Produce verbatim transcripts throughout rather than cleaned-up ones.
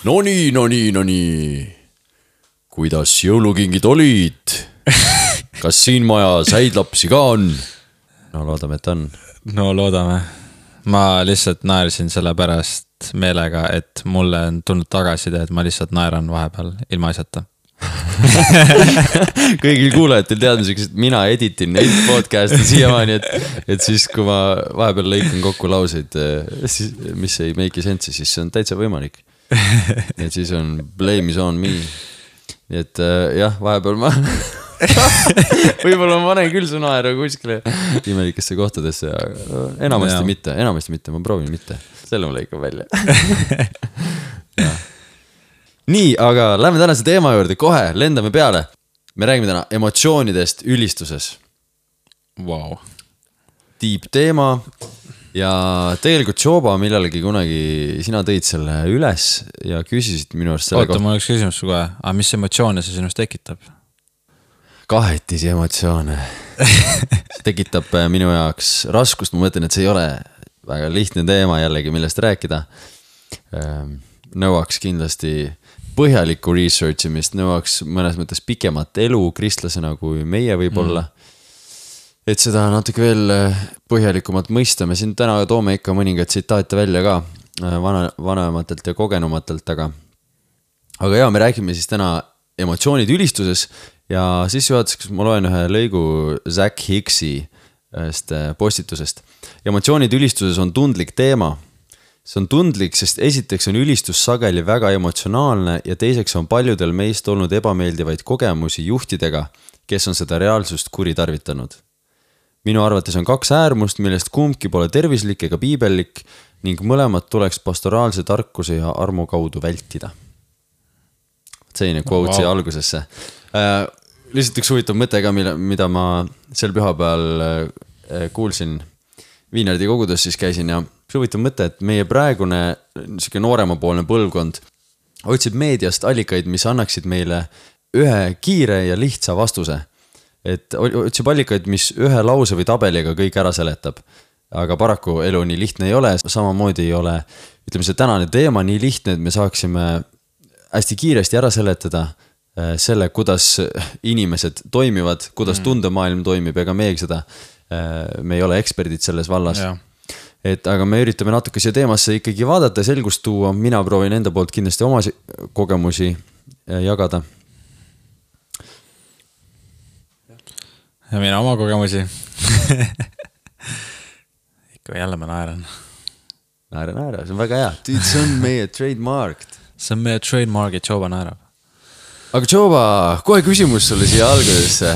No nii, no nii, no nii. Kuidas jõulukingid olid? Kas siin majas häid lapsi ka on? No loodame, et on. No loodame. Ma lihtsalt naersin selle pärast meelega, et mulle on tulnud tagasiside, et ma lihtsalt naeran vahepeal ilma asjata. Kõigil kuulajatel teadmiseks, et mina editin neid podcasti siiamaani, et, et siis kui ma vahepeal lõikan kokku lauseid, siis, mis ei make sense, siis see on täitsa võimalik. Et siis on blame is on me. Nii et jah, vahepeal ma võib-olla ma panen küll su naeru kuskile imelikesse kohtadesse, aga enamasti ja. mitte, enamasti mitte, ma proovin mitte. Selle ma lõikan välja. Nii, aga lähme tänase teema juurde, kohe lendame peale. Me räägime täna emotsioonidest ülistuses. Wow. Deep teema. Ja tegelikult Joba millalegi kunagi sina tõid selle üles ja küsisid minu arust selle Oota, kohta. Mul oleks küsimus kohe, aga mis emotsioone see sinust tekitab? Kahetisi emotsioone. See tekitab minu jaoks raskust, ma mõtlen, et see ei ole väga lihtne teema jällegi, millest rääkida. Nõuaks kindlasti põhjalikku researchimist, nõuaks mõnes mõttes pikemat elu kristlasena kui meie võib olla. Mm. Et seda natuke veel põhjalikumalt mõista. Me siin täna toome ikka mõningad tsitaate välja ka vana, vanematelt ja kogenumatelt, aga aga jaa, me räägime siis täna emotsioonid ülistuses ja siis juhatuseks ma loen ühe lõigu Zach Higgsi postitusest. Emotsioonid ülistuses on tundlik teema. See on tundlik, sest esiteks on ülistus sageli väga emotsionaalne ja teiseks on paljudel meist olnud ebameeldivaid kogemusi juhtidega, kes on seda reaalsust kuritarvitanud. Minu arvates on kaks äärmust, millest kumbki pole tervislik ega piibellik ning mõlemad tuleks pastoraalse tarkuse ja armu kaudu vältida. Selline quote siia wow. algusesse. Äh, lihtsalt üks huvitav mõte ka, mida ma sel pühapäeval äh, kuulsin Viinardi kogudes, siis käisin ja see huvitav mõte, et meie praegune nooremapoolne põlvkond otsib meediast allikaid, mis annaksid meile ühe kiire ja lihtsa vastuse. Et otsib allikaid, mis ühe lause või tabeliga kõik ära seletab. Aga paraku elu nii lihtne ei ole, samamoodi ei ole, ütleme see tänane teema nii lihtne, et me saaksime hästi kiiresti ära seletada selle, kuidas inimesed toimivad, kuidas tundemaailm toimib, ega meegi seda, me ei ole eksperdid selles vallas. Ja. Et aga me üritame natuke siia teemasse ikkagi vaadata ja selgust tuua, mina proovin enda poolt kindlasti oma kogemusi jagada. Ja mina oma kogemusi. Ikka jälle ma naeran. Naera, naera, see on väga hea. Dude, see on meie trademarked. See on meie trademark, et Joba naerab. Aga Joba, kohe küsimus sulle siia algusesse.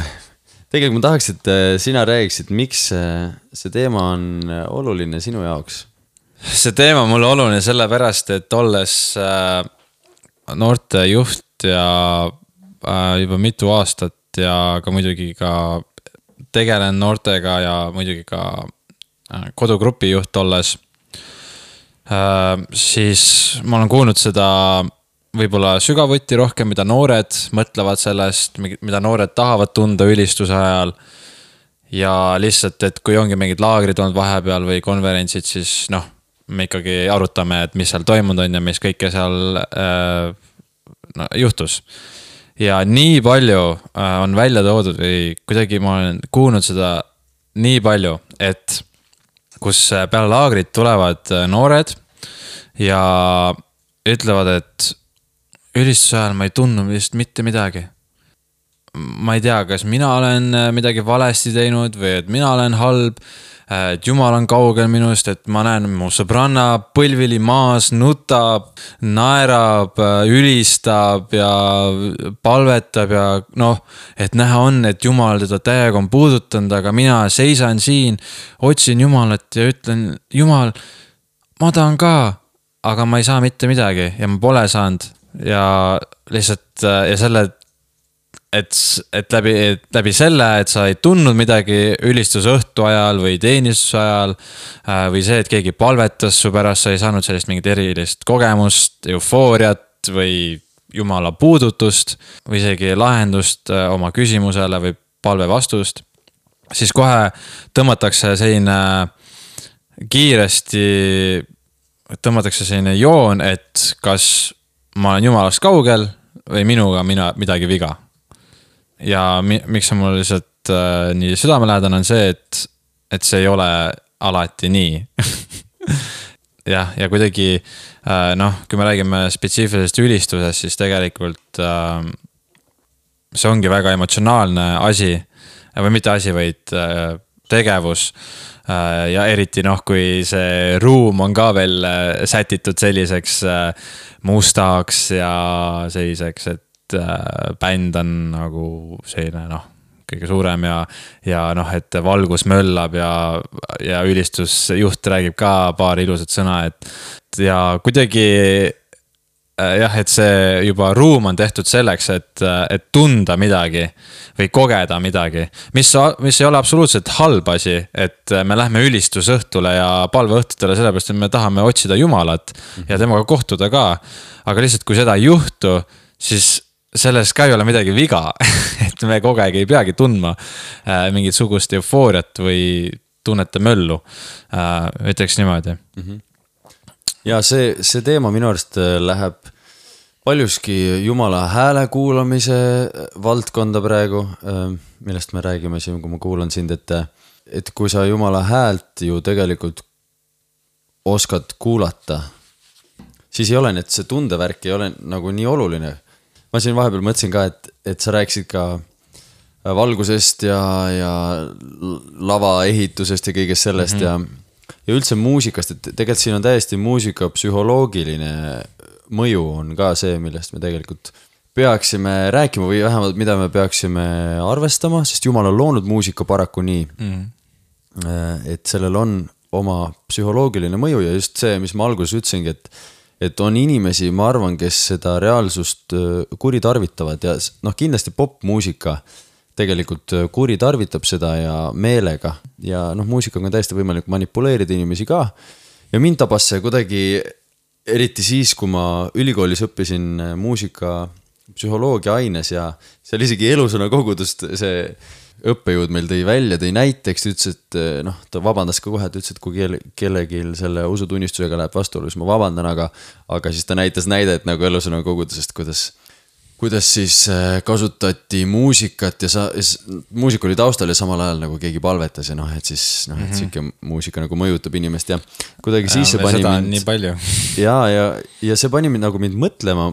Tegelikult ma tahaks, et sina räägiksid, miks see teema on oluline sinu jaoks? See teema on mulle oluline sellepärast, et olles noorte juht ja juba mitu aastat ja ka muidugi ka tegelen noortega ja muidugi ka kodugrupi juht olles, siis ma olen kuulnud seda võib-olla sügavuti rohkem, mida noored mõtlevad sellest, mida noored tahavad tunda ülistuse ajal ja lihtsalt, et kui ongi mingid laagrid olnud vahepeal või konverentsid, siis noh, me ikkagi arutame, et mis seal toimunud on ja mis kõike seal äh, no, juhtus. Ja nii palju on välja toodud või kuidagi ma olen kuulnud seda nii palju, et kus peale laagrit tulevad noored ja ütlevad, et ülistuse ajal ma ei tunnu vist mitte midagi. Ma ei tea, kas mina olen midagi valesti teinud või et mina olen halb, et Jumal on kaugel minust, et ma näen mu sõbranna põlvili maas, nutab, naerab, ülistab ja palvetab ja noh, et näha on, et Jumal teda täiega on puudutanud, aga mina seisan siin, otsin Jumalat ja ütlen, Jumal, ma tahan ka, aga ma ei saa mitte midagi ja ma pole saanud ja lihtsalt ja selle Et, et, läbi, et läbi selle, et sa ei tundnud midagi ülistuse õhtu ajal või teenistuse ajal või see, et keegi palvetas su pärast, sa ei saanud sellist mingit erilist kogemust, eufooriat või Jumala puudutust või isegi lahendust oma küsimusele või palve vastust, siis kohe tõmmatakse selline kiiresti tõmmatakse selline joon, et kas ma olen jumalast kaugel või minuga mina midagi viga. Ja mi, miks on mul lihtsalt äh, nii südamelähedane on see, et, et see ei ole alati nii. jah, ja kuidagi äh, noh, kui me räägime spetsiifilisest ülistusest, siis tegelikult äh, see ongi väga emotsionaalne asi või mitte asi, vaid äh, tegevus äh, ja eriti noh, kui see ruum on ka veel äh, sätitud selliseks äh, mustaks ja selliseks, et äh, bänd on nagu selline noh, kõige suurem ja, ja noh, et valgus möllab ja, ja ülistusjuht räägib ka paar ilusat sõna, et ja kuidagi jah, et see juba ruum on tehtud selleks, et, et tunda midagi või kogeda midagi, mis, mis ei ole absoluutselt halb asi, et me lähme ülistusõhtule ja palveõhtutele sellepärast, et me tahame otsida Jumalat ja temaga kohtuda ka, aga lihtsalt kui seda ei juhtu, siis selles ka ei ole midagi viga, et me kogu aeg ei peagi tundma mingit sugust eufooriat või tunnete möllu, ütleks niimoodi. Mm-hmm. Ja see, see teema minu arust läheb paljuski Jumala hääle kuulamise valdkonda praegu, millest me räägime siin, kui ma kuulan sind, et, et kui sa Jumala häält ju tegelikult oskad kuulata, siis ei ole, et see tundevärk ei ole nagu nii oluline. Ma siin vahepeal mõtlesin ka, et, et sa rääkisid ka valgusest ja, ja lava ehitusest ja kõigest sellest mm-hmm. ja, ja üldse muusikast, et tegelikult siin on täiesti muusika psühholoogiline mõju on ka see, millest me tegelikult peaksime rääkima või vähemalt mida me peaksime arvestama, sest Jumal on loonud muusika paraku nii, mm-hmm. et sellel on oma psühholoogiline mõju ja just see, mis ma alguses ütlesingi, et et on inimesi, ma arvan, kes seda reaalsust kuritarvitavad ja noh, kindlasti popmuusika tegelikult kuritarvitab seda ja meelega ja noh, muusikaga on täiesti võimalik manipuleerida inimesi ka ja mind tabas see kuidagi eriti siis, kui ma ülikoolis õppisin muusika psühholoogia aines ja seal isegi elusõna kogudust see õppejõud meil tõi välja, tõi näiteks, ütles, et noh, ta vabandas ka kohe, et ütles, et kui kelle, kellegi selle usutunnistusega läheb vastuolu, siis ma vabandan, aga, aga siis ta näitas näidet nagu elusõna kogudusest, kuidas, kuidas siis kasutati muusikat ja sa, muusika oli taustal ja samal ajal nagu keegi palvetas ja noh, et siis noh, et mm-hmm. siuke muusika nagu mõjutab inimest ja kuidagi ja, siis see pani seda mind... nii palju. ja, ja, ja see pani mind nagu mind mõtlema,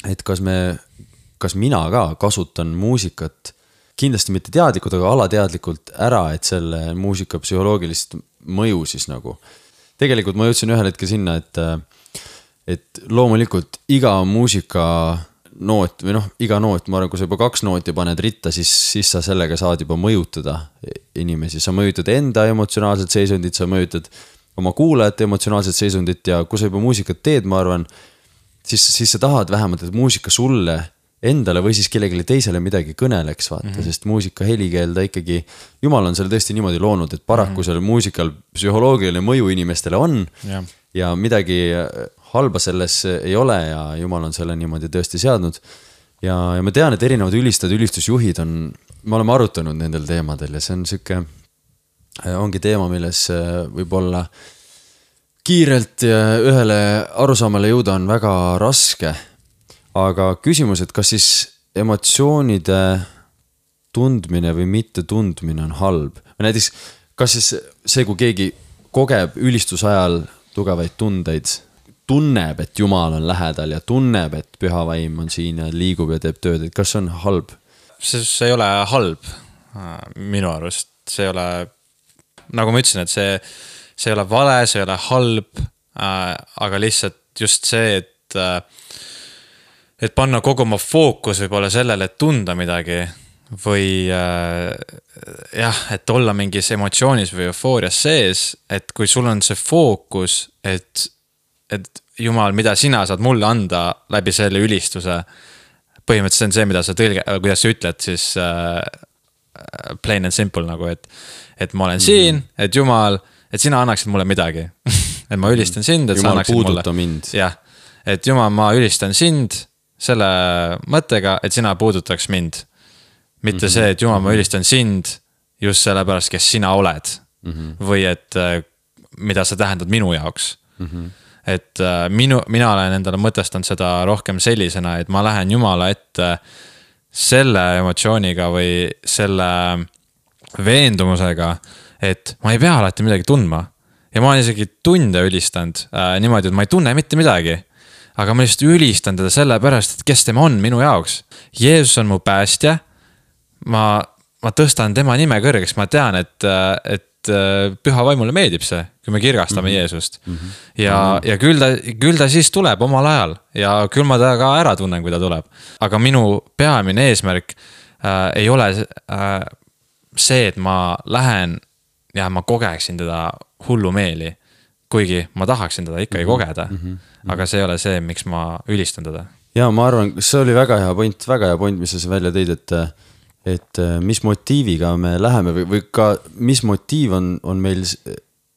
et kas me, kas mina ka kasutan muusikat kindlasti mitte teadlikult, aga alateadlikult ära, et selle muusika psühholoogilist mõju siis nagu. Tegelikult ma jõudsin ühel hetkel sinna, et, et loomulikult iga muusika noot või noh, iga noot, ma arvan, kui sa juba kaks nooti paned ritta, siis, siis sa sellega saad juba mõjutada inimesi. Sa mõjutad enda emotsionaalset seisundit, sa mõjutad oma kuulajate emotsionaalset seisundit ja kui sa juba muusikat teed, ma arvan, siis, siis sa tahad vähemalt, et muusika sulle endale või siis kellelegi teisele midagi kõneleks, vaata, mm-hmm. sest muusika helikeel ta ikkagi, Jumal on selle tõesti niimoodi loonud, et paraku mm-hmm. sellel muusikal psühholoogiline mõju inimestele on ja. ja midagi halba selles ei ole ja Jumal on selle niimoodi tõesti seadnud. Ja, ja ma tean, et erinevad ülistajad, ülistusjuhid on, me oleme arutanud nendel teemadel ja see on siuke, ongi teema, milles võib-olla kiirelt ühele arusaamale jõuda on väga raske. Aga küsimus, et kas siis emotsioonide tundmine või mitte tundmine on halb? Või näiteks, kas siis see, kui keegi kogeb ülistusajal tugevaid tundeid, tunneb, et Jumal on lähedal ja tunneb, et püha vaim on siin ja liigub ja teeb tööd, et kas see on halb? See, see ei ole halb minu arust. See ei ole, nagu ma ütlesin, et see, see ei ole vale, see ei ole halb, aga lihtsalt just see, et et panna kogu oma fookus võib-olla sellele, et tunda midagi või äh, jah, et olla mingis emotsioonis või eufoorias sees, et kui sul on see fookus, et, et Jumal, mida sina saad mulle anda läbi selle ülistuse, põhimõtteliselt on see, mida sa tõlge, kuidas sa ütled, siis äh, plain and simple nagu, et, et ma olen siin, et Jumal, et sina annaksid mulle midagi, et ma ülistan sind, et Jumal sa annaksid mulle. mind. Jah, et Jumal, ma ülistan sind selle mõttega, et sina puudutaks mind. Mitte mm-hmm. see, et Jumal, ma ülistan sind just sellepärast, kes sina oled. Mm-hmm. Või et mida sa tähendad minu jaoks. Mm-hmm. et minu, mina olen endale mõtestanud seda rohkem sellisena, et ma lähen Jumala ette selle emotsiooniga või selle veendumusega, et ma ei pea alati midagi tundma. Ja ma olen isegi tunde ülistanud äh, niimoodi, et ma ei tunne mitte midagi. Aga ma lihtsalt ülistan teda selle pärast, et kes tema on minu jaoks. Jeesus on mu päästja. Ma, ma tõstan tema nime kõrgeks, ma tean, et, et püha vaimule meeldib see, kui me kirgastame mm-hmm. Jeesust. Mm-hmm. Ja, ja küll, ta, küll ta siis tuleb omal ajal ja küll ma ta ka ära tunnen, kui ta tuleb. Aga minu peamine eesmärk äh, ei ole äh, see, et ma lähen ja ma kogeksin teda hullumeeli, kuigi ma tahaksin teda ikka ei kogeda. Mm-hmm. Aga see ei ole see, miks ma ülistan teda. Ja ma arvan, see oli väga hea point, väga hea point, mis sa välja tõid, et et mis motiiviga me läheme või, või ka mis motiiv on, on meil,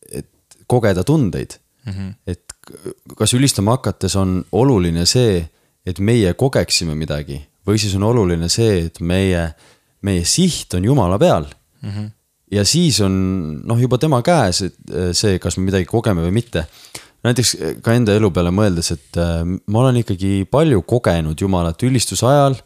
et kogeda tundeid. Mm-hmm. Et kas ülistama hakates on oluline see, et meie kogeksime midagi või siis on oluline see, et meie, meie siht on Jumala peal. Mm-hmm. Ja siis on noh, juba tema käes see, kas me midagi kogeme või mitte. Näiteks ka enda elu peale mõeldes, et ma olen ikkagi palju kogenud Jumalat ülistuse ajal.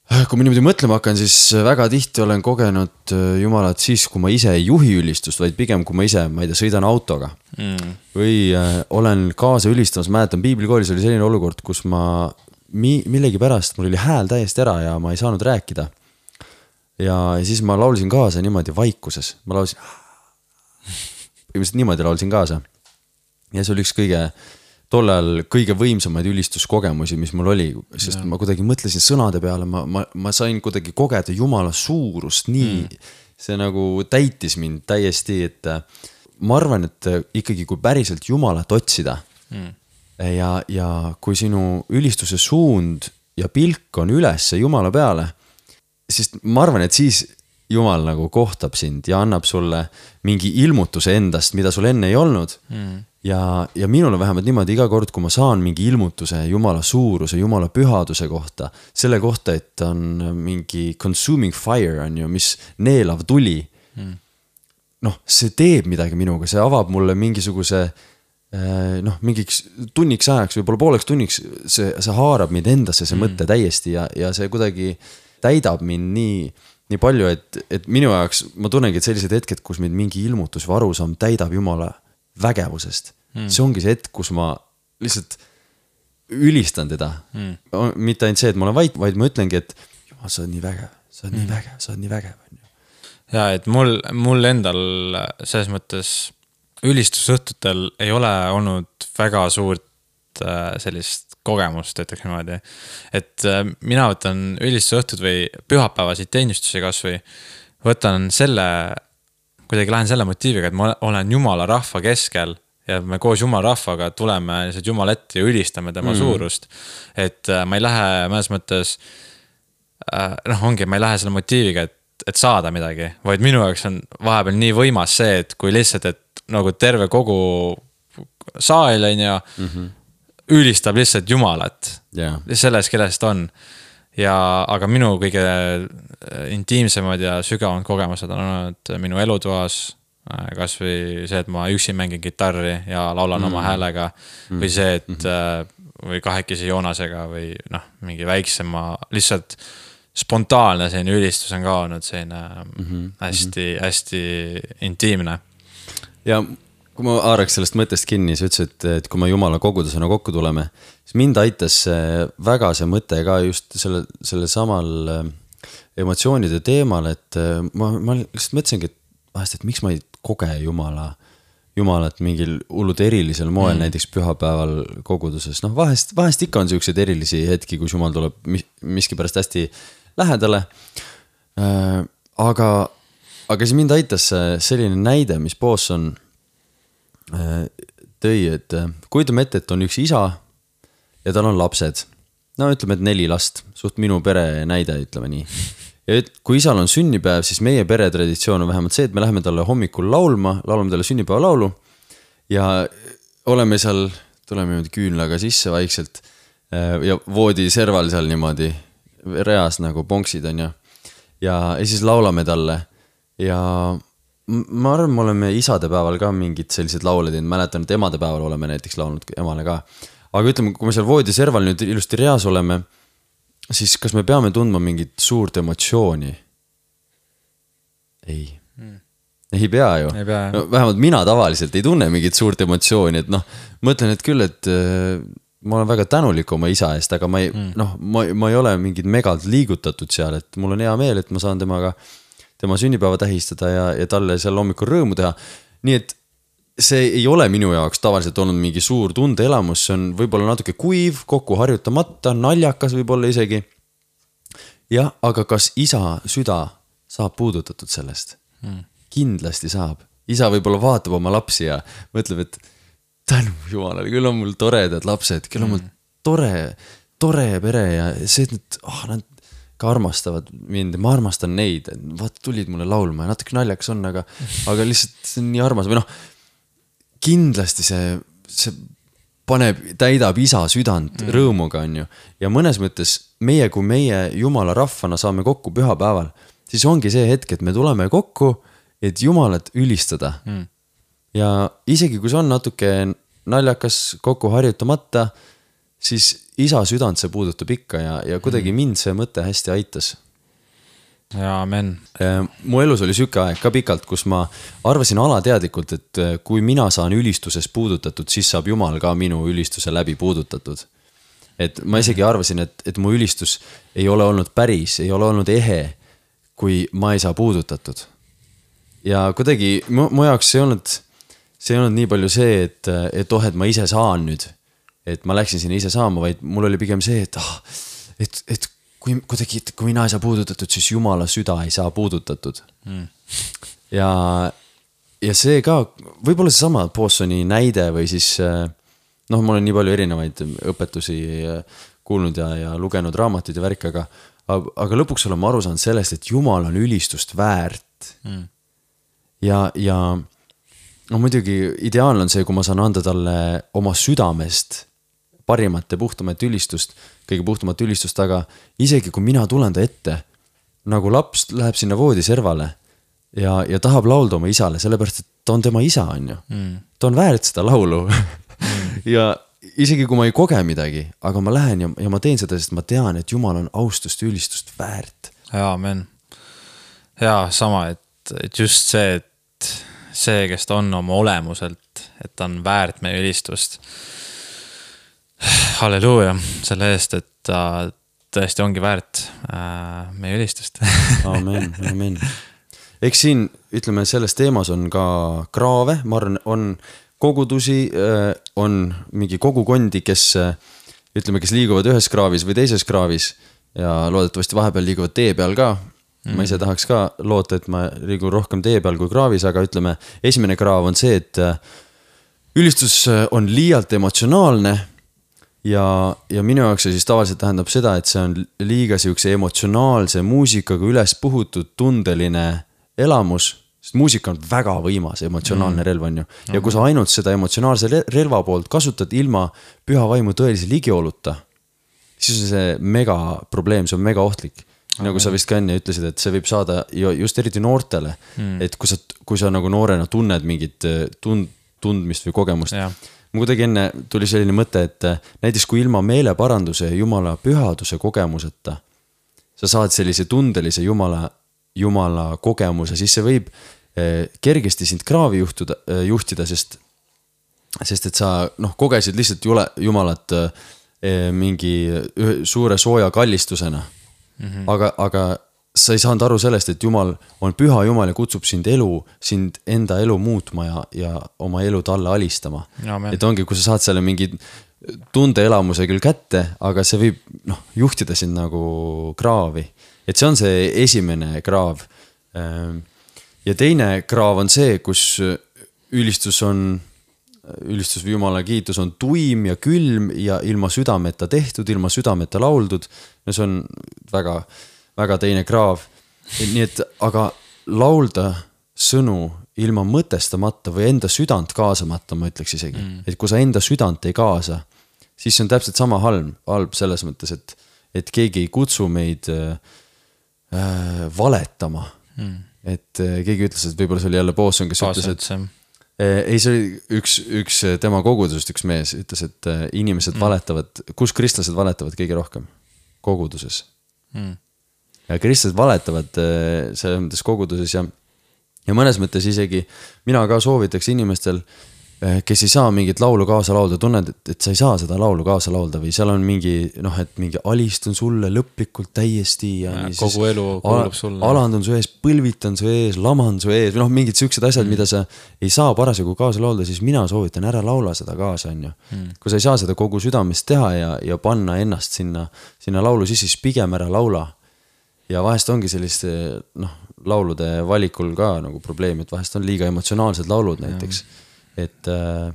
Kui ma niimoodi mõtlema hakkan, siis väga tihti olen kogenud Jumalat siis, kui ma ise ei juhi ülistust, vaid pigem kui ma ise, ma ei tea, sõidan autoga. Mm. Või äh, olen kaasa ülistamas, mäletan, piiblikoolis oli selline olukord, kus ma mi- millegi pärast, mul oli hääl täiesti ära ja ma ei saanud rääkida. Ja, ja siis ma laulsin kaasa niimoodi vaikuses. Ma laulsin, niimoodi laulsin kaasa. Ja see oli üks kõige... tollal kõige võimsamaid ülistuskogemusi, mis mul oli, sest ja. Ma kuidagi mõtlesin sõnade peale, ma, ma, ma sain kuidagi kogeda Jumala suurust, nii mm. see nagu täitis mind täiesti, et ma arvan, et ikkagi kui päriselt Jumalat otsida mm. ja, ja kui sinu ülistuse suund ja pilk on üles Jumala peale, siis ma arvan, et siis Jumal nagu kohtab sind ja annab sulle mingi ilmutuse endast, mida sul enne ei olnud. Mm. Ja, ja minul on vähemalt niimoodi iga kord, kui ma saan mingi ilmutuse Jumala suuruse, Jumala pühaduse kohta, selle kohta, et on mingi consuming fire on ju, mis neelav tuli. Mm. Noh, see teeb midagi minuga, see avab mulle mingisuguse noh, mingiks tunniks ajaks, võib-olla pooleks tunniks, see, see haarab mind endasse, see mm. mõtte täiesti ja, ja see kuidagi täidab mind nii, nii palju, et, et minu jaoks ma tunnengi, et sellised hetked, kus mind mingi ilmutus või arusaam täidab Jumala vägevusest. Mm. See ongi see hetk, kus ma lihtsalt ülistan teda. Mm. Mitte ainult see, et ma olen vait, vaid ma ütlengi, et Jumal, sa oled nii vägev, sa oled mm. nii vägev, sa oled nii vägev. Ja, et mul, mul endal selles mõttes ülistusõhtutel ei ole olnud väga suurt sellist kogemust, ütleks niimoodi. Et mina võtan ülistusõhtud või pühapäevasid teenistusi kas või võtan selle kuidagi lähen selle motiiviga, et ma olen Jumala rahva keskel ja me koos Jumala rahvaga tuleme lihtsalt Jumala ette ja ülistame tema mm. suurust. Et ma ei lähe mõnes mõttes, noh ongi, ma ei lähe selle motiiviga, et, et saada midagi, vaid minu jaoks on vahepeal nii võimas see, et kui lihtsalt, et nagu terve kogu saal on ja mm-hmm. ülistab lihtsalt Jumalat yeah. selles, kellest on. Ja, aga minu kõige intiimsemad ja sügavamad kogemused on olnud minu elutoas, kas või see, et ma üksi mängin gitarri ja laulan mm. oma häälega mm. või see, et mm. või kahekesi Joonasega või noh, mingi väiksema, lihtsalt spontaanne selline ülistus on ka olnud selline mm-hmm. hästi, hästi intiimne. Ja kui ma haaraks sellest mõttest kinni, sa ütlesid, et, et kui me Jumala kogudusena kokku tuleme, siis mind aitas väga see mõte ka just selle, selle samal emotsioonide teemal, et ma, ma lihtsalt mõtlesingi, et vahest, et miks ma ei koge Jumala, Jumalat mingil hullud erilisel moel mm. näiteks pühapäeval koguduses. Noh, vahest, vahest ikka on sellised erilisi hetki, kus Jumal tuleb miski pärast hästi lähedale. Äh, aga, aga siis mind aitas selline näide, mis Boson tõi, et kujutame ette, et on üks isa ja tal on lapsed. No ütleme, et neli last, suht minu pere näide, ütleme nii. Ja et, kui isal on sünnipäev, siis meie pere traditsioon on vähemalt see, et me läheme talle hommikul laulma, laulame talle sünnipäeva laulu ja oleme seal, tuleme küünlaga sisse vaikselt ja voodi serval seal niimoodi reas nagu ponksid on ja, ja, ja siis laulame talle ja ma arvan, me oleme isadepäeval ka mingid sellised laule teinud, mäletan, et emadepäeval oleme näiteks laulnud emale ka. Aga ütleme, kui me seal voodi serval nüüd ilusti reas oleme, siis kas me peame tundma mingit suurt emotsiooni? Ei. Hmm. Ei pea ju. Ei pea, no, vähemalt mina tavaliselt ei tunne mingit suurt emotsiooni, et noh, mõtlen, et küll, et äh, ma olen väga tänulik oma isa eest, aga ma ei, hmm. noh, ma, ma ei ole mingid megalt liigutatud seal, et mul on hea meel, et ma saan temaga tema sünnipäeva tähistada ja, ja talle seal hommikul rõõmu teha. Nii et see ei ole minu jaoks tavaliselt olnud mingi suur tundeelamus, see on võib-olla natuke kuiv, kokku harjutamata, naljakas võib-olla isegi. Jah, aga kas isa süda saab puudutatud sellest? Hmm. Kindlasti saab. Isa võib-olla vaatab oma lapsi ja mõtleb, et tänu jumalale, küll on mul toredad lapsed, küll on mul tore, tore pere ja see, et oh, nad ka armastavad mind, ma armastan neid, vaata tulid mulle laulma ja natuke naljakas on, aga, aga lihtsalt see on nii armas või noh, kindlasti see, see paneb, täidab isa südant mm. rõõmuga on ju ja mõnes mõttes meie, kui meie jumala rahvana saame kokku pühapäeval, siis ongi see hetk, et me tuleme kokku, et jumalat ülistada mm. ja isegi kui see on natuke naljakas kokku harjutamata, siis isa südant see puudutab ikka ja, ja kuidagi mind see mõte hästi aitas. Ja amen. Mu elus oli süke aeg ka pikalt, kus ma arvasin alateadlikult, et kui mina saan ülistuses puudutatud, siis saab Jumal ka minu ülistuse läbi puudutatud. Et ma isegi arvasin, et, et mu ülistus ei ole olnud päris, ei ole olnud ehe, kui ma ei saa puudutatud. Ja kuidagi mu, mu jaoks see ei olnud, see ei olnud nii palju see, et, et oh, et ma ise saan nüüd. Et ma läksin sinna ise saama, vaid mul oli pigem see, et, ah, et, et kui, kuidagi, kui mina ei saa puudutatud, siis Jumala süda ei saa puudutatud. Mm. Ja, ja see ka, võib-olla see sama Bosoni näide või siis, noh, ma olen nii palju erinevaid õpetusi kuulnud ja, ja lugenud raamatuid ja värk, aga, aga lõpuks olen ma aru saanud sellest, et Jumal on ülistust väärt. Mm. Ja, ja no muidugi ideaalne on see, kui ma saan anda talle oma südamest parimat ja puhtamat ülistust, kõige puhtamat ülistust, aga isegi kui mina tulen ta ette, nagu laps läheb sinna voodi servale ja, ja tahab laulda oma isale, sellepärast, et ta on tema isa, on ju. Mm. Ta on väärt seda laulu. mm. Ja isegi kui ma ei koge midagi, aga ma lähen ja, ja ma teen seda, sest ma tean, et Jumal on austust ja ülistust väärt. Ja, amen. Ja, sama, et, et just see, et see, kes ta on oma olemuselt, et ta on väärt meie ülistust. Halleluuja selle eest, et ta tõesti ongi väärt äh, meie ülistust. Amen, amen. Eks siin, ütleme, selles teemas on ka kraave, ma arvan, on kogudusi, äh, on mingi kogukondi, kes, ütleme, kes liiguvad ühes kraavis või teises kraavis ja loodetavasti vahepeal liiguvad tee peal ka. Mm. Ma ise tahaks ka loota, et ma liigun rohkem tee peal kui kraavis, aga ütleme, esimene kraav on see, et ülistus on liialt emotsionaalne ja, ja minu jaoks see siis tavaliselt tähendab seda, et see on liiga siukse emotsionaalse muusikaga üles puhutud tundeline elamus, sest muusika on väga võimas emotsionaalne mm. relv on ju. Ja kui sa ainult seda emotsionaalse relva poolt kasutad ilma püha vaimu tõelise ligioluta, siis on see mega probleem, see on mega ohtlik. Nagu sa vist ka enne ütlesid, et see võib saada just eriti noortele, mm. et kui sa, kui sa nagu noorena tunned mingit tund, tundmist või kogemust. Ja. Ma kuidagi enne tuli selline mõte, et näiteks kui ilma meeleparanduse ja Jumala pühaduse kogemuseta sa saad sellise tundelise Jumala, Jumala kogemuse, siis see võib kergesti sind kraavi juhtuda, juhtida, sest, sest et sa noh, kogesid lihtsalt jule, Jumalat mingi suure sooja kallistusena. Mm-hmm. Aga, aga sa ei saanud aru sellest, et Jumal on püha Jumal ja kutsub sind elu, sind enda elu muutma ja, ja oma elu talle alistama. Amen. Et ongi, kui sa saad selle mingi tundeelamuse küll kätte, aga see võib noh, juhtida sind nagu kraavi. Et see on see esimene kraav. Ja teine kraav on see, kus ülistus on, ülistus või Jumala kiitus on tuim ja külm ja ilma südameta tehtud, ilma südameta lauldud. No see on väga, väga teine kraav. Nii et, aga laulda sõnu ilma mõtestamata või enda südant kaasamata, ma ütleks isegi. Mm. Et kui sa enda südant ei kaasa, siis see on täpselt sama halb, halb selles mõttes, et, et keegi ei kutsu meid äh, valetama. Mm. et keegi ütles, et võib-olla see oli jälle Bosson, kes Bosson, ütles, et ei, see oli üks, üks tema kogudusest üks mees ütles, et inimesed mm. valetavad, kus kristlased valetavad kõige rohkem? Koguduses. Mm. Ja kristlased valetavad selles mõttes koguduses ja, ja mõnes mõttes isegi mina ka soovitaks inimestel, kes ei saa mingit laulu kaasa laulda, tunned, et, et sa ei saa seda laulu kaasa laulda või seal on mingi, noh, et mingi alistun sulle lõplikult täiesti ja, ja kogu elu kuulub sulle. Alandun su ees, põlvitan su ees, laman su ees või noh, mingid siuksed asjad, mm. mida sa ei saa parasjagu kaasa laulda, siis mina soovitan ära laula seda kaasa, on ju. Mm. Kui sa ei saa seda kogu südamest teha ja, ja panna ennast sinna, sinna laulu sisse, siis pigem ära laula. Ja vahest ongi selliste, noh, laulude valikul ka nagu probleem, et vahest on liiga emotsionaalsed laulud näiteks. Ja. Et äh,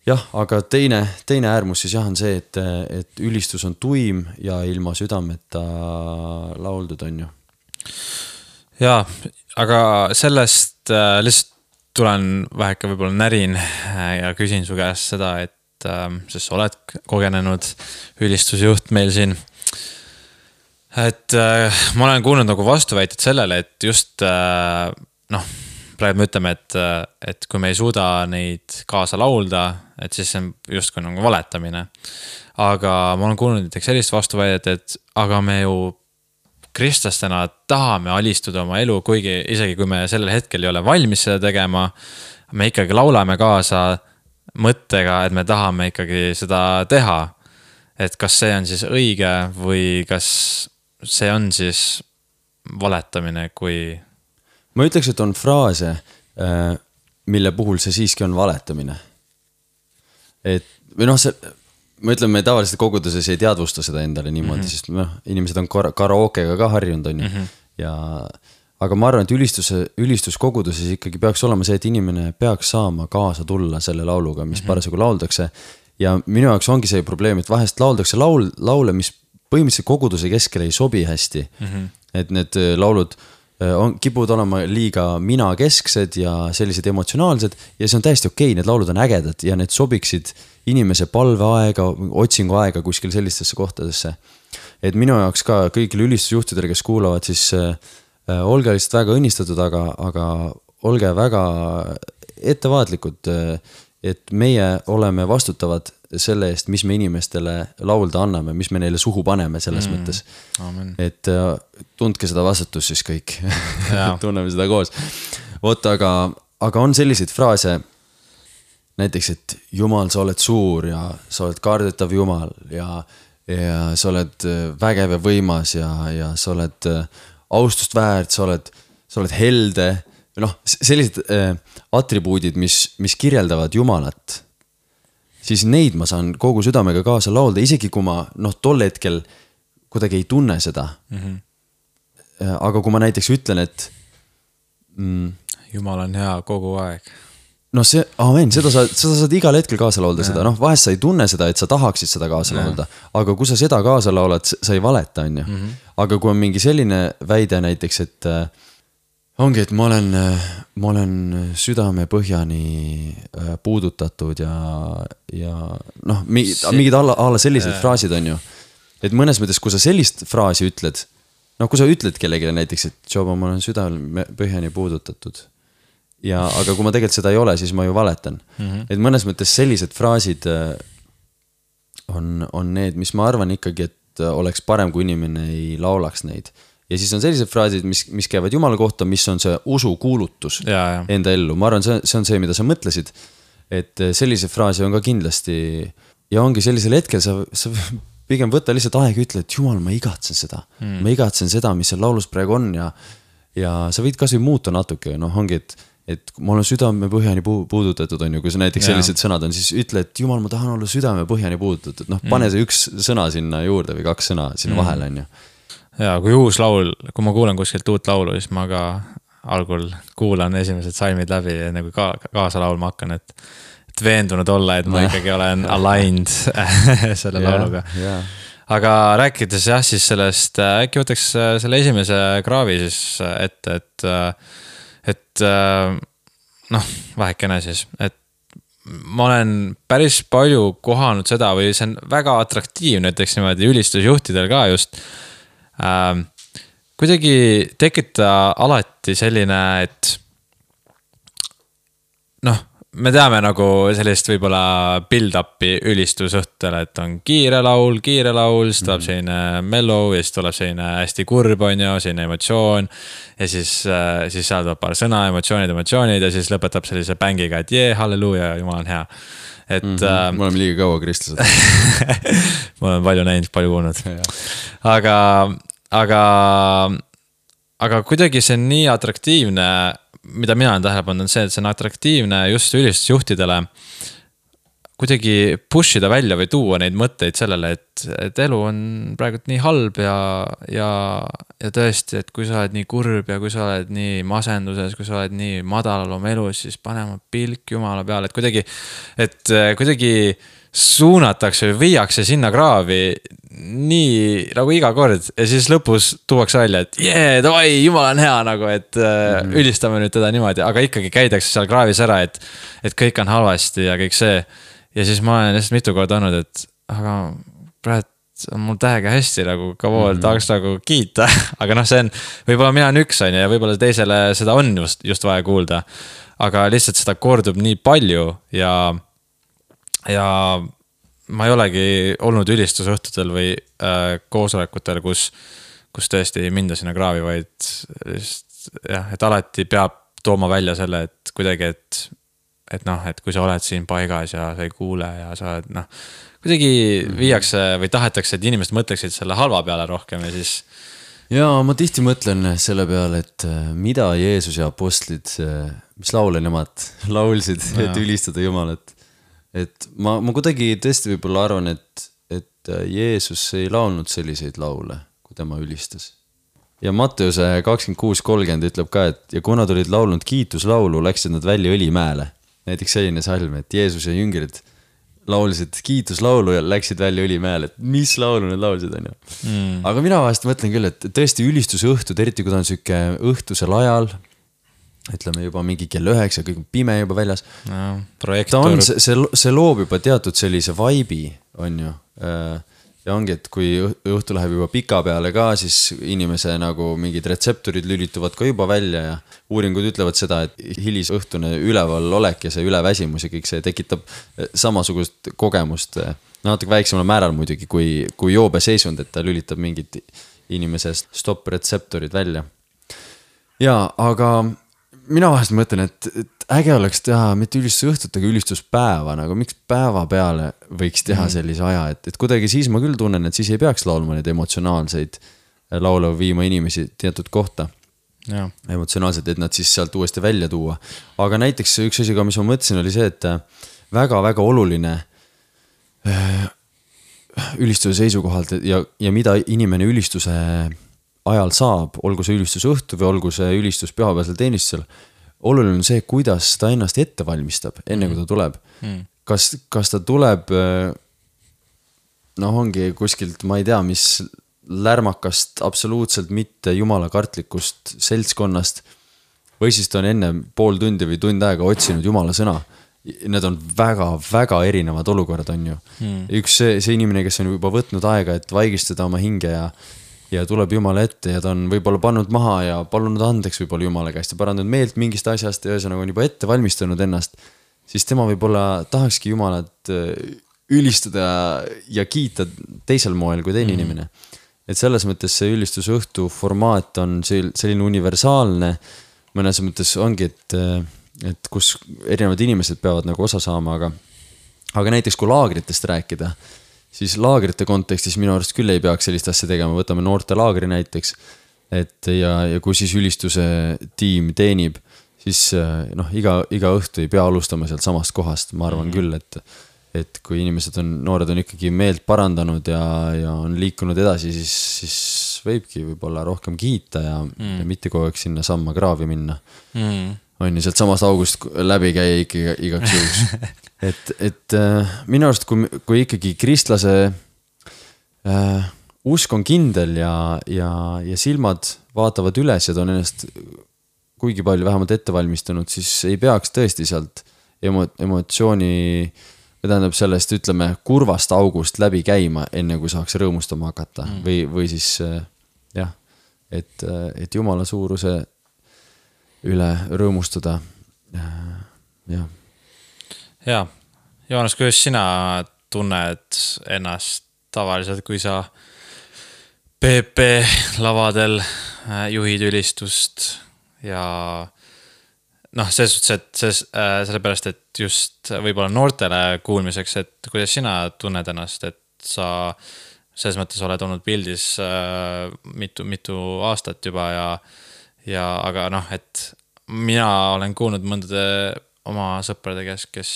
jah, aga teine, teine äärmus siis jah on see, et, et ülistus on tuim ja ilma südameta lauldud on ju. Jaa, aga sellest äh, lihtsalt tulen väheke võib-olla närin ja küsin su käest seda, et äh, sest sa oled kogenenud ülistusjuht meil siin. Et äh, ma olen kuulnud nagu vastuväited sellele, et just äh, noh, praegu me ütleme, et, et kui me ei suuda neid kaasa laulda, et siis see on just kui nagu valetamine. Aga ma olen kuulnud näiteks sellist vastuväidet, et aga me ju kristlastena tahame alistuda oma elu, kuigi isegi kui me sellel hetkel ei ole valmis seda tegema, me ikkagi laulame kaasa mõttega, et me tahame ikkagi seda teha. Et kas see on siis õige või kas see on siis valetamine, kui ma ütleks, et on fraase, mille puhul see siiski on valetamine. Et, või noh, see, ma ütlen, me tavaliselt koguduses ei teadvusta seda endale niimoodi, mm-hmm. sest noh, inimesed on karaokega ka harjunud, on ju. Mm-hmm. Ja, aga ma arvan, et ülistuse, ülistuskoguduses ikkagi peaks olema see, et inimene peaks saama kaasa tulla selle lauluga, mis mm-hmm. parasjagu lauldakse. Ja minu jaoks ongi see probleem, et vahest lauldakse laul, laule, mis põhimõtteliselt koguduse keskel ei sobi hästi. Mm-hmm. Et need laulud on, kipuvad olema liiga mina kesksed ja sellised emotsionaalsed ja see on täiesti okei, need laulud on ägedad ja need sobiksid inimese palveaega, otsinguaega kuskil sellistesse kohtadesse. Et minu jaoks ka kõigile ülistusjuhtidele, kes kuulavad, siis äh, olge lihtsalt väga õnnistatud, aga, aga olge väga ettevaatlikud, et meie oleme vastutavad selle eest, mis me inimestele laulda anname, mis me neile suhu paneme selles mm, mõttes. Amen. Et tundke seda vastutust siis kõik. Tunneme seda koos. Vot, aga, aga on selliseid fraase, näiteks, et Jumal, sa oled suur ja sa oled kardetav Jumal ja, ja sa oled vägev ja võimas ja, ja sa oled austust väärt, sa oled, sa oled helde. Noh, sellised äh, atribuudid, mis, mis kirjeldavad Jumalat, siis neid ma saan kogu südamega kaasa laulda, isegi kui ma noh, tol hetkel kuidagi ei tunne seda. Mm-hmm. Aga kui ma näiteks ütlen, et mm, Jumal on hea kogu aeg. No see, amen, seda sa, seda saad igal hetkel kaasa laulda ja. Seda, noh, vahest sa ei tunne seda, et sa tahaksid seda kaasa ja. Laulda, aga kui sa seda kaasa laulad, sa ei valeta, on ju. Mm-hmm. Aga kui on mingi selline väide näiteks, et ongi, et ma olen, ma olen südame põhjani puudutatud ja, ja noh, mingid, mingid alla, alla sellised äh. fraasid on ju. Et mõnes mõttes, kui sa sellist fraasi ütled, noh, kui sa ütled kellelegi näiteks, et Joba, ma olen südame põhjani puudutatud. Ja, aga kui ma tegelikult seda ei ole, siis ma ju valetan. Mm-hmm. Et mõnes mõttes sellised fraasid on, on need, mis ma arvan ikkagi, et oleks parem, kui inimene ei laulaks neid. Ja siis on sellised fraasid, mis, mis käivad Jumala kohta, mis on see usu kuulutus ja, ja. Enda ellu. Ma arvan, see, see on see, mida sa mõtlesid. Et sellise fraasi on ka kindlasti ja ongi sellisel hetkel sa, sa pigem võtta lihtsalt aega ja ütle, et Jumal, ma igatsen seda. Hmm. Ma igatsen seda, mis seal laulus praegu on ja, ja sa võid kas või muuta natuke. Noh, ongi, et, et ma olen südame põhjani puudutatud, on ju, kui see näiteks ja. Sellised sõnad on, siis ütle, et Jumal, ma tahan olla südame põhjani puudutatud. Noh, pane see üks sõna sinna juurde või kaks sõna sinna hmm. vahele, on ju. Ja kui uus laul, kui ma kuulen kuskilt uut laulu, siis ma ka algul kuulan esimesed salmid läbi ja nagu ka, kaasa laulma hakkan, et, et veendunud olla, et ma ikkagi olen aligned selle yeah, lauluga. Yeah. Aga rääkides jah, siis sellest, äkki võtaks selle esimese kraavi siis ette, et, et noh, vähekene siis, et ma olen päris palju kohanud seda või see on väga atraktiivne, näiteks niimoodi ülistusjuhtidel ka just, kuidagi tekita alati selline, et noh, me teame nagu sellist võib-olla build-up'i ülistusõhtele, et on kiire laul, kiire laul, siis tuleb selline mellow ja siis tuleb selline hästi kurb on ju, selline emotsioon ja siis, siis seal tuleb paar sõna, emotsioonid, emotsioonid ja siis lõpetab sellise bängiga, et jee, halleluuja, jumal on hea. Et, mm -hmm. me oleme liiga kaua kristlased. ma olen palju näinud, palju kuulnud. aga, aga, aga kuidagi see on nii atraktiivne, mida mina olen tähele pannud, on see, et see on atraktiivne just ülistusjuhtidele kuidagi push ida välja või tuua neid mõtteid sellele, et, et elu on praegu nii halb ja, ja, ja tõesti, et kui sa oled nii kurb ja kui sa oled nii masenduses, kui sa oled nii madalal oma elus, siis pane oma pilk jumala peale, et kuidagi, et kuidagi suunatakse või viiakse sinna kraavi nii nagu iga kord ja siis lõpus tuuakse välja, et jee, davai, jumal on hea nagu, et mm-hmm. ülistame nüüd teda niimoodi, aga ikkagi käidakse seal kraavis ära, et, et kõik on halvasti ja kõik see. Ja siis ma olen lihtsalt mitu korda olnud, et aga praegu on mul täiega hästi nagu kavool mm-hmm. tahaks nagu kiita, aga noh, see on, võib-olla mina on üks on ja võib-olla teisele seda on just, just vaja kuulda, aga lihtsalt seda kordub nii palju ja ja ma ei olegi olnud ülistusõhtutel või äh, koosolekutel, kus, kus tõesti ei minda sinna kraavi, vaid just, jah, et alati peab tooma välja selle, et kuidagi, et, et noh, et kui sa oled siin paigas ja sa ei kuule ja sa oled, noh, kuidagi viiakse või tahetakse, et inimesed mõtleksid selle halva peale rohkem ja siis... Ja ma tihti mõtlen selle peale, et mida Jeesus ja apostlid, mis laule nemad laulsid, et ülistada Jumalat. Et ma, ma kuidagi tõesti võib-olla arvan, et, et Jeesus ei laulnud selliseid laule, kui tema ülistas. Ja Matteuse kakskümmend kuus kolmkümmend ütleb ka, et ja kuna tulid laulnud kiituslaulu, läksid nad välja Õlimäele. Näiteks selline salm, et Jeesus ja jüngrid laulsid kiituslaulu ja läksid välja Õlimäele, et mis laulu need laulsid on ju. Mm. Aga mina vahest mõtlen küll, et tõesti ülistusõhtud, eriti kui ta on süke õhtusel ajal, ütleme juba mingi kell üheksa, kõik on pime juba väljas. No, ta on, see, see, see loob juba teatud sellise vibe'i, on ju. Ja ongi, et kui õhtu läheb juba pika peale ka, siis inimese nagu mingid retseptorid lülituvad ka juba välja ja uuringud ütlevad seda, et hilisõhtune üleval olek ja see üleväsimus ja kõik see tekitab samasugust kogemust. Natuke väiksemal määral muidugi, kui, kui joobe seisund, et ta lülitab mingid inimese stopp-retseptorid välja. Ja, aga mina vahest mõtlen, et, et äge oleks teha mitte ülistusõhtut, aga ülistuspäeva, nagu miks päeva peale võiks teha sellise aja, et, et kuidagi siis ma küll tunnen, et siis ei peaks laulma neid emotsionaalseid laule viima inimesi teatud kohta. Ja. Emotsionaalselt, et nad siis sealt uuesti välja tuua. Aga näiteks üks asi, mis ma mõtlesin, oli see, et väga-väga oluline ülistuse seisukohalt ja, ja mida inimene ülistuse ajal saab, olgu see ülistusõhtu või olgu see ülistus pühapäevasel teenistusel, oluline on see, kuidas ta ennast ette valmistab, enne kui ta tuleb. Mm. Kas, kas ta tuleb, noh ongi kuskilt, ma ei tea, mis lärmakast, absoluutselt mitte jumalakartlikust seltskonnast, või siis ta on enne pool tundi või tund aega otsinud jumala sõna. Need on väga-väga erinevad olukorrad, on ju. Mm. Üks see, see inimene, kes on juba võtnud aega, et vaigistada oma hinge ja ja tuleb Jumala ette ja ta on võib-olla pannud maha ja palunud andeks võib-olla Jumala käest ja parandanud meelt mingist asjast ja ühesõnaga on juba ette valmistanud ennast, siis tema võib-olla tahakski Jumalat ülistada ja kiita teisel moel kui teine mm. inimene. Et selles mõttes see ülistusõhtu formaat on selline universaalne, mõnes mõttes ongi, et, et kus erinevad inimesed peavad nagu osa saama, aga, aga näiteks kui laagritest rääkida, siis laagrite kontekstis minu arust küll ei peaks sellist asja tegema, võtame noorte laagri näiteks, et ja, ja kui siis ülistuse tiim teenib, siis noh, iga, iga õhtu ei pea alustama sealt samast kohast, ma arvan mm-hmm. küll, et, et kui inimesed on, noored on ikkagi meelt parandanud ja, ja on liikunud edasi, siis, siis võibki võib-olla rohkem kiita ja, mm. ja mitte kogu aeg sinna samma kraavi minna. Mm. On ju, sealt samast august läbi käia ikkagi igaks juhuks. Et, et äh, minu arust, kui, kui ikkagi kristlase äh, usk on kindel ja, ja, ja silmad vaatavad üles ja ta on ennast kuigi palju vähemalt ette valmistanud, siis ei peaks tõesti sealt emo, emotsiooni, või tähendab sellest, ütleme, kurvast august läbi käima, enne kui saaks rõõmustama hakata mm. või, või siis äh, jah, et, et Jumala suuruse üle rõõmustada. jah. Jaa, Joonas, kuidas sina tunned ennast tavaliselt, kui sa P P lavadel juhid ülistust ja noh, selles suhtes, et ses, äh, sellepärast, et just võib-olla noortele kuulmiseks, et kuidas sina tunned ennast, et sa selles mõttes oled olnud pildis äh, mitu, mitu aastat juba ja, ja aga noh, et mina olen kuulnud mõndade oma sõprade käest, kes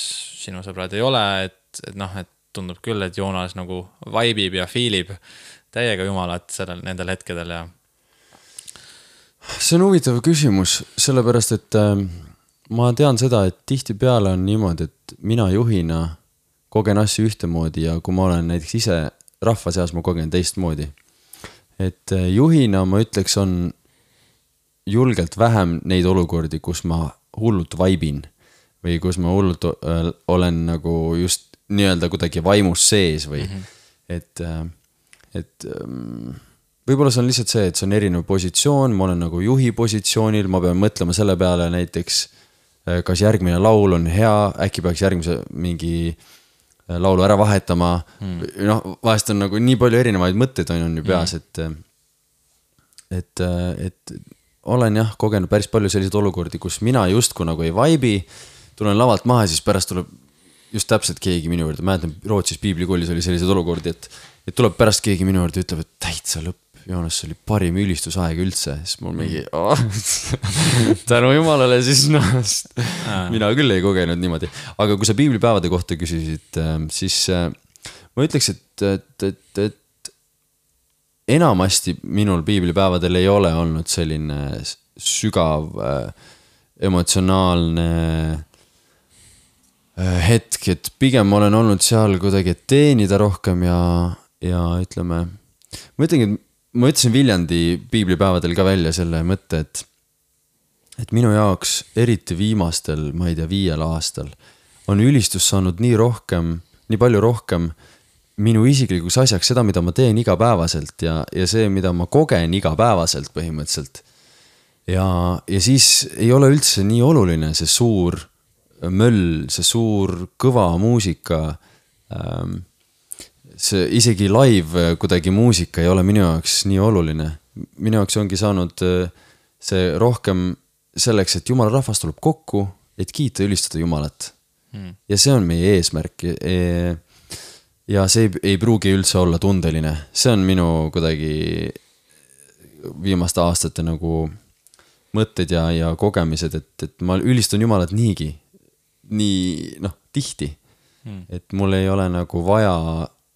sinu sõbrad ei ole, et, et noh, et tundub küll, et Joonas nagu vaibib ja fiilib täiega Jumalat sellel, nendel hetkedel ja see on huvitav küsimus, sellepärast, et äh, ma tean seda, et tihtipeale on niimoodi, et mina juhina kogen asju ühtemoodi ja kui ma olen näiteks ise rahva seas, ma kogen teistmoodi. Et äh, juhina ma ütleks, on julgelt vähem neid olukordi, kus ma hullult vaibin või kus ma hullult äh, olen nagu just nii-öelda kuidagi vaimus sees või mm-hmm. et, äh, et ähm, võib-olla see on lihtsalt see, et see on erinev positsioon, ma olen nagu juhi positsioonil, ma pean mõtlema selle peale näiteks, kas järgmine laul on hea, äkki peaks järgmise mingi laulu ära vahetama. Hmm. Noh, vahest on nagu nii palju erinevaid mõtteid on ju peas, hmm. et, et, et olen jah kogenud päris palju selliseid olukordi, kus mina justku nagu ei vaibi, tulen lavalt maha ja siis pärast tuleb just täpselt keegi minu juurde, mäletan Rootsis piiblikoolis oli selliseid olukordi, et, et tuleb pärast keegi minu juurde ja ütleb, et täitsa lõpp, Joonas, see oli parim ülistusaeg üldse, siis mul mingi oh, tänu Jumalale siis noh, mina küll ei kogenud niimoodi, aga kui sa piiblipäevade kohta küsisid, siis ma ütleks, et, et, et, et enamasti minul piiblipäevadel ei ole olnud selline sügav emotsionaalne hetk, et pigem olen olnud seal kuidagi teenida rohkem ja, ja ütleme, ma ütlengi, et ma ütlesin Viljandi piiblipäevadel ka välja selle mõtte, et, et minu jaoks eriti viimastel, ma ei tea, viiel aastal on ülistus saanud nii rohkem, nii palju rohkem minu isiklikuks asjaks seda, mida ma teen igapäevaselt ja, ja see, mida ma kogen igapäevaselt põhimõtteliselt. Ja, ja siis ei ole üldse nii oluline see suur möll, see suur kõva muusika, ähm, see isegi live kuidagi muusika ei ole minu jaoks nii oluline. Minu jaoks ongi saanud see rohkem selleks, et Jumala rahvas tuleb kokku, et kiita ülistada Jumalat. Hmm. Ja see on meie eesmärk. Ja see ei, ei pruugi üldse olla tundeline. See on minu kuidagi viimaste aastate nagu mõtted ja, ja kogemised, et, et ma ülistan Jumalat niigi, nii noh, tihti. Hmm. Et mul ei ole nagu vaja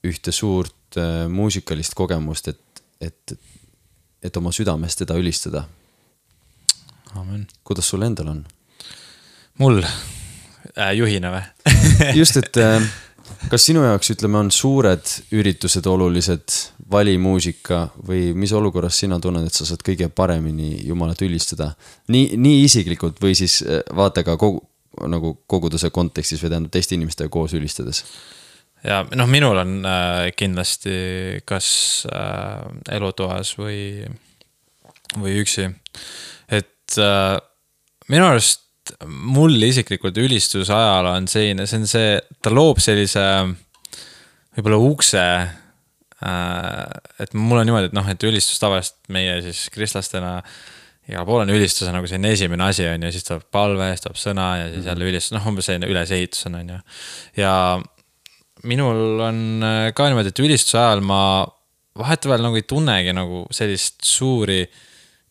ühte suurt äh, muusikalist kogemust, et, et, et oma südamest teda ülistada. Amen. Kuidas sul endal on? Mul äh, juhina või? Just, et äh, kas sinu jaoks, ütleme, on suured üritused olulised, valimuusika või mis olukorras sina tunned, et sa saad kõige paremini Jumalat ülistada? Nii, nii isiklikult või siis äh, vaata ka kogu, nagu koguduse kontekstis või tähendab teiste inimestega koos ülistades? Ja noh, minul on äh, kindlasti kas äh, elutoas või, või üksi. Et äh, minu arust mul isiklikult ülistuse ajal on selline, see on see, ta loob sellise võib-olla ukse, äh, et mul on niimoodi, et noh, et ülistus tavaliselt meie siis kristlastena igal pool on ülistuse nagu selline esimene asi on ja siis tuleb palve, siis tuleb sõna ja siis jälle ülistus, noh, umbes selline ülesehitus on, on ju. Ja minul on ka niimoodi, et ülistuse ajal ma vahetevahel nagu ei tunnegi nagu sellist suuri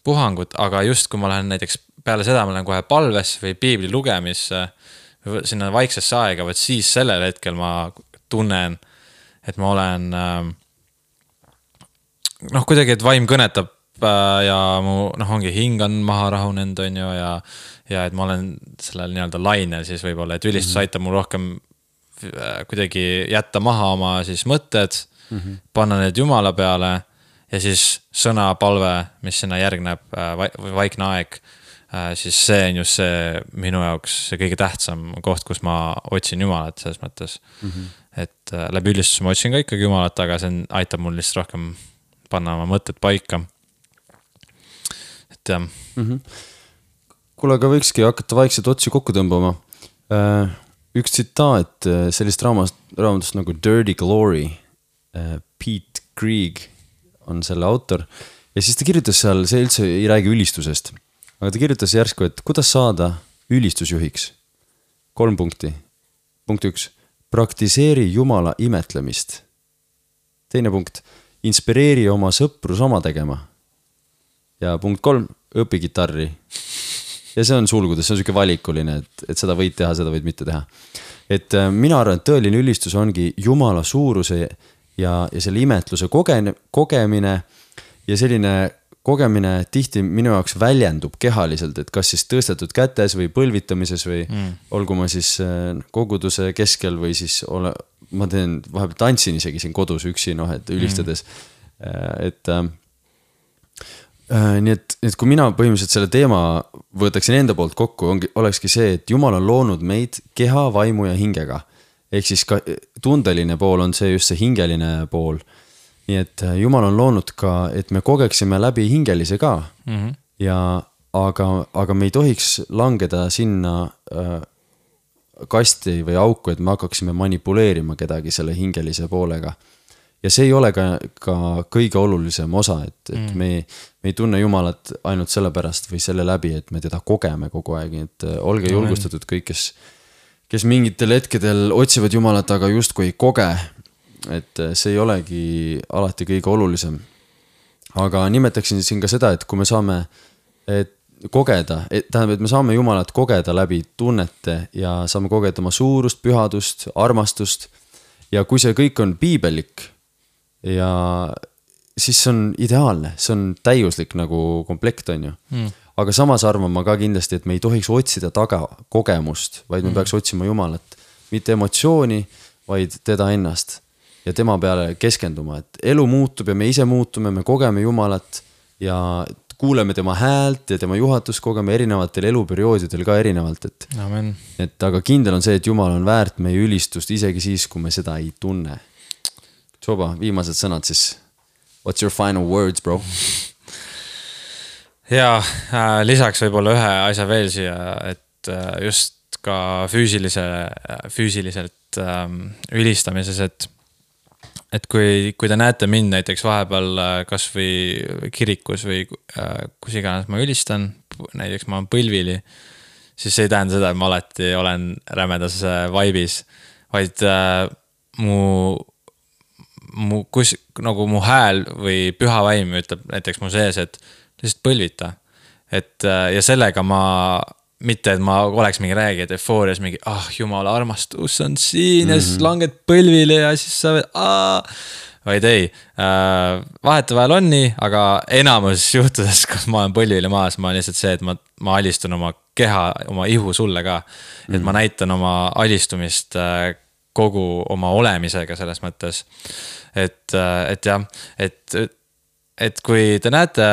puhangut, aga just kui ma lähen näiteks peale seda, ma lähen kohe palvesse või piibli lugemisse või sinna vaiksesse aega, võt siis sellel hetkel ma tunnen, et ma olen noh, kuidagi, et vaim kõnetab ja mu noh, ongi hing on maha rahunend on ju ja, ja et ma olen sellel nii-öelda lainel siis võib-olla, et ülistus mm-hmm. aitab mul rohkem kuidagi jätta maha oma siis mõtted, mm-hmm. panna need Jumala peale ja siis sõna, palve, mis sinna järgneb või vaikne aeg, siis see on just see minu jaoks see kõige tähtsam koht, kus ma otsin Jumalat selles mõttes. Mm-hmm. Et läbi ülistuse ma otsin ka ikkagi Jumalat, aga see on, aitab mul lihtsalt rohkem panna oma mõtted paika. et jah mm-hmm. Kuule, aga võikski hakata vaikselt otsi kokku tõmbama. Üks tsitaat sellist raamast, raamatust nagu Dirty Glory, Pete Greig on selle autor ja siis ta kirjutas seal, see üldse ei räägi ülistusest, aga ta kirjutas järsku, et kuidas saada ülistusjuhiks. Kolm punkti. Punkt üks, praktiseeri Jumala imetlemist. Teine punkt, inspireeri oma sõpru sama tegema. Ja punkt kolm, õpi gitarri. Ja see on sulgudes, see on selline valikuline, et, et seda võid teha, seda võid mitte teha. Et äh, mina arvan, et tõeline ülistus ongi Jumala suuruse ja, ja selle imetluse kogen, kogemine ja selline kogemine tihti minu jaoks väljendub kehaliselt, et kas siis tõstetud kätes või põlvitamises või mm. olgu ma siis äh, koguduse keskel või siis ole, ma teen, vahepeal tantsin isegi siin kodus üksi, noh, et ülistades, mm. et äh, Äh, nii et, et kui mina põhimõtteliselt selle teema võtaksin enda poolt kokku, ongi, olekski see, et Jumal on loonud meid keha, vaimu ja hingega. Ehk siis ka tundeline pool on see just see hingeline pool. Nii et Jumal on loonud ka, et me kogeksime läbi hingelise ka. Mm-hmm. Ja, aga, aga me ei tohiks langeda sinna äh, kasti või auku, et me hakkaksime manipuleerima kedagi selle hingelise poolega. Ja see ei ole ka, ka kõige olulisem osa, et, et mm. me, me ei tunne Jumalat ainult selle pärast või selle läbi, et me teda kogeme kogu aeg, et olge no, julgustatud kõik, kes, kes mingitel hetkedel otsivad Jumalat, aga justkui ei koge, et see ei olegi alati kõige olulisem. Aga nimetaksin siin ka seda, et kui me saame et kogeda, et, tähendab, et me saame Jumalat kogeda läbi tunnete ja saame kogeda oma suurust, pühadust, armastust ja kui see kõik on piibelik, ja siis see on ideaalne, see on täiuslik nagu komplekt on ju. Mm. Aga samas arvan ma ka kindlasti, et me ei tohiks otsida taga kogemust, vaid me mm. peaks otsima Jumalat. Mitte emotsiooni, vaid teda ennast ja tema peale keskenduma, et elu muutub ja me ise muutume, me kogeme Jumalat ja kuuleme tema häält ja tema juhatust kogeme erinevatel eluperioodidel ka erinevalt. Et, Amen. et aga kindel on see, et Jumal on väärt meie ülistust isegi siis, kui me seda ei tunne. Soba, viimased sõnad siis. What's your final words, bro? Ja äh, lisaks võib-olla ühe asja veel siia, et äh, just ka füüsilise, füüsiliselt äh, ülistamises, et, et kui, kui te näete mind näiteks vahepeal äh, kas või kirikus või äh, kus iganes ma ülistan, näiteks ma olen põlvili, siis see ei tähenda seda, et ma alati olen rämedas vaibis, vaid äh, mu mu, kus, nagu mu hääl või püha vaim ütleb näiteks mu sees, et lihtsalt põlvita. Et, ja sellega ma, mitte et ma oleks mingi räägi, et eufoorias mingi, ah, Jumala armastus on siin mm-hmm. ja siis langed põlvile ja siis sa võid, aah, vaid ei. Vahetevahel on nii, aga enamus juhtudes, kus ma olen põlvile maas, ma olen lihtsalt see, et ma, ma alistun oma keha, oma ihu sulle ka. Mm-hmm. Et ma näitan oma alistumist kogu oma olemisega selles mõttes. Et, et jah, et, et kui te näete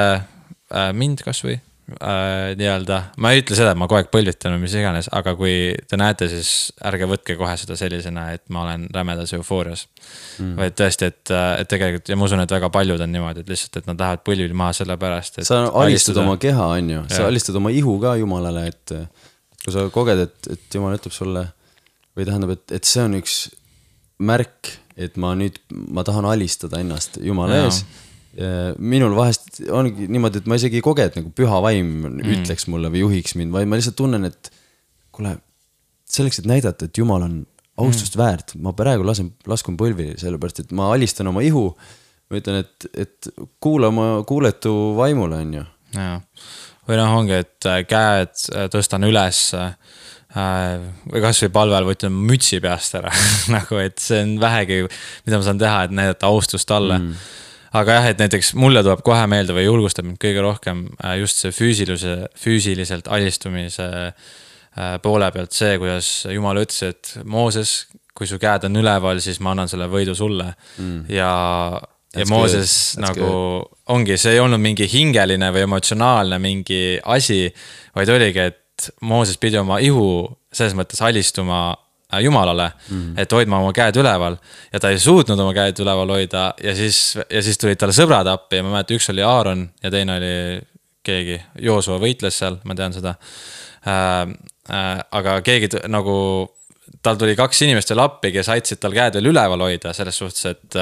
mind kas või äh, nii-öelda, ma ei ütle seda, et ma kogu aeg põlvitan või mis iganes, aga kui te näete, siis ärge võtke kohe seda sellisena, et ma olen rämedas eufoorias. Mm. Vaid tõesti, et, et tegelikult, ja ma usun, et väga paljud on niimoodi, et lihtsalt, et nad lähevad põlvil maha selle pärast. Et sa alistad alistada... oma keha, on ju, sa alistad oma ihu ka Jumalale, et kui sa koged, et, et Jumal ütleb sulle, või tähendab, et, et see on üks märk, et ma nüüd, ma tahan alistada ennast Jumala ees. Minul vahest ongi niimoodi, et ma isegi ei koge, et nagu püha vaim mm. ütleks mulle või juhiks mind, vaid ma lihtsalt tunnen, et kuule, selleks, et näidata, et Jumal on austust mm. väärt, ma praegu lasen, laskun põlvi, sellepärast, et ma alistan oma ihu, ma ütlen, et, et kuule oma kuuletu vaimule, on ju. Ja. Või noh, ongi, et käed tõstan üles või kas või palvel võtan mütsi peast ära nagu, et see on vähegi, mida ma saan teha, et näidata austust talle mm. aga jah, et näiteks mulle tuleb kohe meelde või julgustab mind kõige rohkem just see füüsilise, füüsiliselt alistumise poole pealt see, kuidas Jumal ütles, et Mooses, kui su käed on üleval, siis ma annan selle võidu sulle mm. ja, ja Mooses nagu good. Ongi, see ei olnud mingi hingeline või emotsionaalne mingi asi, vaid oligi, et Mooses pidi oma ihu selles mõttes alistuma Jumalale, mm. et hoidma oma käed üleval ja ta ei suutnud oma käed üleval hoida ja siis, ja siis tulid talle sõbrad appi ja ma mäletan, üks oli Aaron ja teine oli keegi, Joosua võitles seal, ma tean seda äh,. Äh, aga keegi t- nagu, tal tuli kaks inimest veel appi, kes aitasid tal käed veel üleval hoida selles suhtes, et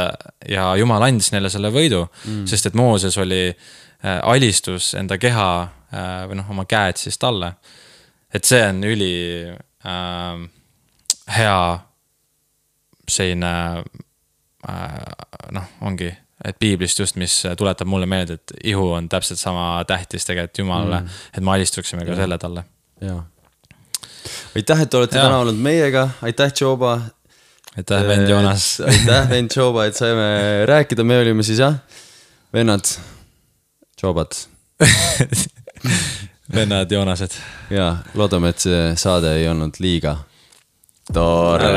ja Jumal andis neile selle võidu, mm. sest et Mooses oli äh, alistus enda keha äh, või noh, oma käed siis talle. Et see on üli äh, hea selline äh, noh, ongi, et piiblist just, mis tuletab mulle meelde, et ihu on täpselt sama tähtis tegelikult Jumalale, mm. et me alistuksime ka ja. Selle talle. Jaa. Aitäh, et olete ja. Täna olnud meiega, aitäh Joba. Aitäh vend Joonas. Aitäh vend Joba, et saime rääkida, me olime siis jah, vennad, Jobat. Vennad Joonased. Ja, loodame, et see saade ei olnud liiga tore.